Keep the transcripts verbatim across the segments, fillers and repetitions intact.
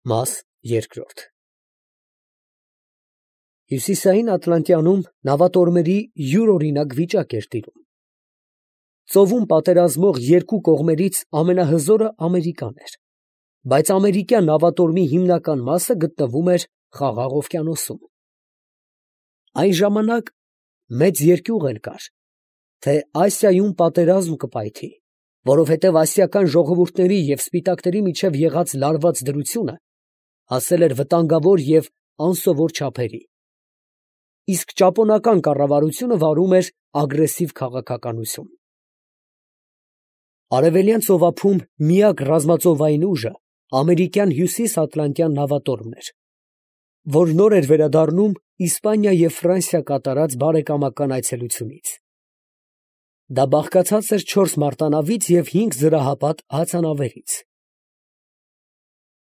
Մաս երկրորդ Հյուսիսային Ատլանտյանում նավատորմերի յուրօրինակ վիճակ էր տիրում։ Ծովում պատերազմող երկու կողմերից ամենահզորը Ամերիկան էր, բայց ամերիկյան նավատորմի հիմնական մասը գտնվում էր Խաղաղ օվկիանոսում։ Այն ժամանակ մեծ երկյուղ էլ կար, թե Ասիայում պատերազմ կպայթի, որովհետև ասիական ժողովուրդների և սպիտակների միջև եղած լարված դրությունը հասել էր վտանգավոր և անսովոր չափերի, իսկ ճապոնական կառավարությունը վարում էր ագրեսիվ քաղաքականություն։ Արևելյան ծովափում միակ ռազմածովային ուժը ամերիկյան հյուսիսատլանտյան նավատորմն էր, որ նոր էր վերադառնում Իսպանիա և Ֆրանսիա կատարած բարեկամական այցելությունից։ Դա բաղկացած էր չորս մարտանավից և հինգ զրահապատ հացանավերից։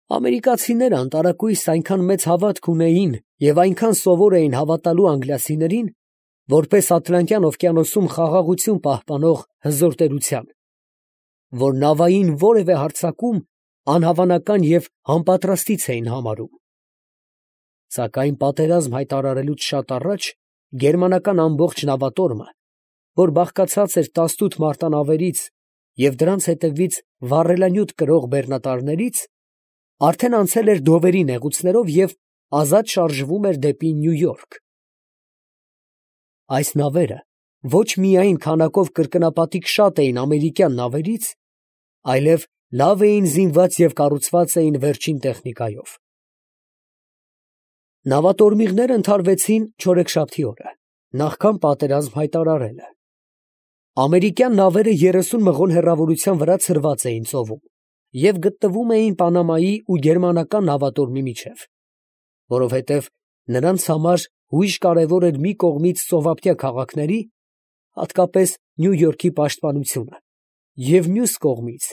Ամերիկացիները անտարակույս այնքան մեծ հավատք ունեին և այնքան սովոր էին հավատալու անգլիացիներին, որպես Ատլանտյան օվկիանոսում խաղաղություն պահպանող հզոր տերության, որ նավային որևէ հարձակում անհավանական և անպատրաստից էին համարում։ Սակայն պատերազմ հայտարարելուց շատ առաջ գերմանական ամբողջ նավատորմը, որ բաղկացած էր տասնութ մարտանավերից և դրանց հետևից վառելանյութ կրող բեռնատարներից, արդեն անցել էր Դովերի նեղուցներով և ազատ շարժվում էր դեպի Նյու Յորք։ Այս նավերը ոչ միայն քանակով կրկնապատիկ շատ էին ամերիկյան նավերից, այլև լավ էին զինված և կառուցված էին վերջին տեխնիկայով։ Նավատորմիղները ընդհարվեցին չորեքշաբթի օրը, նախքան պատերազմ հայտարարելը։ Ամերիկյան նավերը երեսուն մղոն հեռավորության վրա ցրված էին ծովում և գտնվում էին Պանամայի ու գերմանական նավատորմի միջև, որովհետև նրանց համար հույժ կարևոր էր մի կողմից ծովափնյա քաղաքների, հատկապես Նյու Յորքի պաշտպանությունը և մյուս կողմից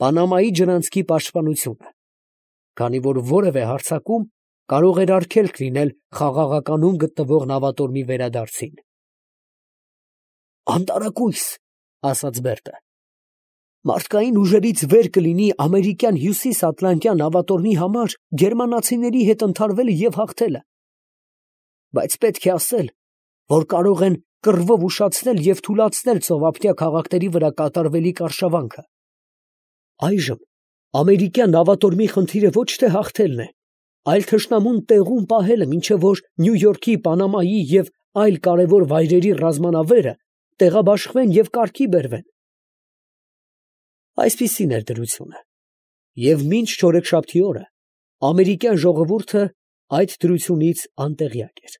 Պանամայի ջրանցքի պաշտպանությունը, քանի որ որևէ հարձակում կարող էր արգելք լինել խաղաղականում գտնվող նավատորմի վերադարձին։ «Անտարակույս, ֊ ասաց Բերտը, ֊ մարդկային ուժերից վեր կլինի ամերիկյան հյուսիսատլանտյան նավատորմի համար գերմանացիների հետ ընդհարվելը և հաղթելը, բայց պետք է ասել, որ կարող են կռվով ուշացնել և թուլացնել ծովափնյա քաղաքների վրա կատարվելիք արշավանքը։ Այժմ ամերիկյան նավատորմի խնդիրը ոչ թե հաղթելն է, այլ թշնամուն տեղում պահելը, մինչև որ Նյու Յորքի, Պանամայի և այլ կարևոր վայրերի ռազմանավերը տեղաբաշխվեն և կարգի բերվեն»։ Այսպիսին էր դրությունը, և մինչ չորեքշաբթի օրը ամերիկյան ժողովուրդը այդ դրությունից անտեղյակ էր։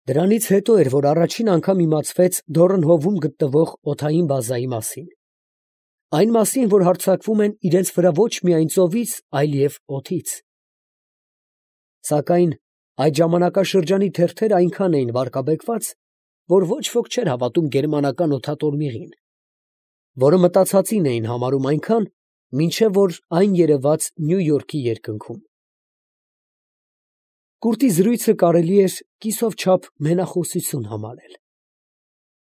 Դրանից հետո էր, որ առաջին անգամ իմացվեց Դորնհովում գտնվող օդային բազայի մասին, այն մասին, որ հարձակվում են իրենց վրա ոչ միայն ծովից, այլև օդից։ Սակայն այդ ժամանակաշրջանի թերթերը այնքան էին վարկաբեկված, որ ոչ ոք չէր հավատում գերմանական օդատորմիղին, որը մտածածին էին համարում այնքան, մինչև որ այն երևաց Նյու Յորքի երկնքում։ Կուրտի զրույցը կարելի էր կիսով չափ մենախոսություն համարել։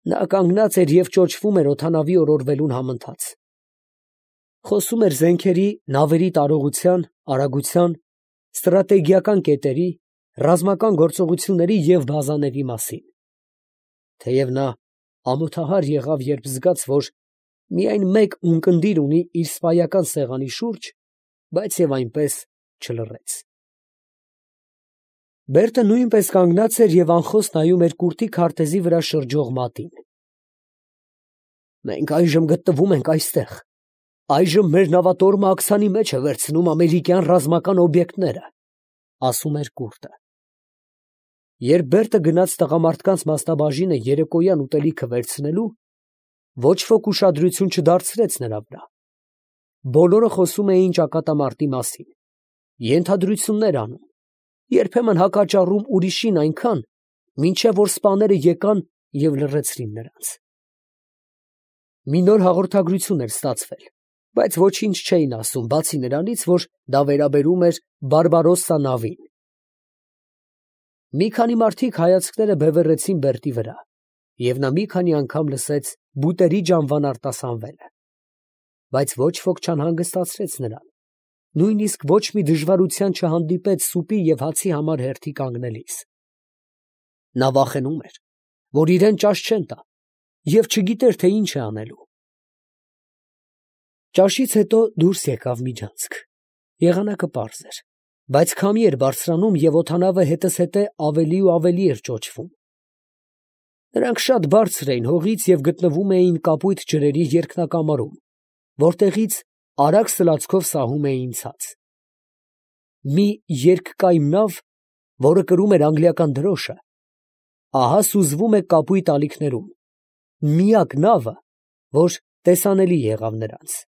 Նա կանգնած էր և ճոճվում էր օդանավի օրորվելուն համընթաց։ Խոսում էր զենքերի, նավերի տարողության, արագության, ստրատեգիական կետերի, ռազմական գործողությունների և բազաների մասին։ Թեև նա ամոթահար եղավ, երբ զգաց, որ միայն մեկ ունկնդիր ունի իր սպայական սեղանի շուրջ, բայց և այնպես չլռեց։ Բերտը նույնպես կանգնած էր և անխոս նայում էր կուրտի քարտեզի վրա շրջող մատին։ «Մենք այժմ գտնվում ենք այստեղ, այժմ մեր նավատորմը աքսանի մեջ է վերցնում ամերիկյան ռազմական օբյեկտները», ֊ ասում էր կուրտը։ Երբ Բերտը գնաց տղամարդկանց մասնաբաժինը երեկոյան ուտելիքը վերցնելու, ոչ ոք ուշադրություն չդարձրեց նրա վրա։ Բոլորը խոսում էին ճակատամարտի մասին, ենթադրություններ անում, երբեմն հակաճառում ուրիշին այնքան, մինչև որ սպաները եկան և լռեցրին նրանց։ Մի նոր հաղորդագրություն էր ստացվել, բայց ոչինչ չէին ասում, բացի նրանից, որ դա վերաբերում էր Բարբարոսսա նավին։ Մի քանի մարդիկ հայացքները բևեռեցին Բերտի վրա, և նա մի քանի անգամ լսեց բուտերի ջանվան արտասանվելը, բայց ոչ ոք չանհանգստացրեց նրան, նույնիսկ ոչ մի դժվարության չհանդիպեց սուպի և հացի համար հերթի կանգնելիս։ Նա վախենում էր, որ իրան ճաշ չեն տա, և չգիտեր, թե ինչ է անելու։ Ճաշից հետո դուրս եկավ միջանցք. եղանակը պարզ էր, բայց քամի էր բարձրանում, և օդանավը հետզհետե ավելի ու ավելի էր ճոճվում։ Նրանք շատ բարձր էին հողից և գտնվում էին կապույտ ջրերի երկնակամարում, որտեղից արագ սլացքով սահում էին ցած։ Մի երկկայմ նավ, որը կրում էր անգլիական դրոշը, ահա սուզվում է կապույտ ալիքներում, միակ նավը, որ տեսանելի եղավ նրանց։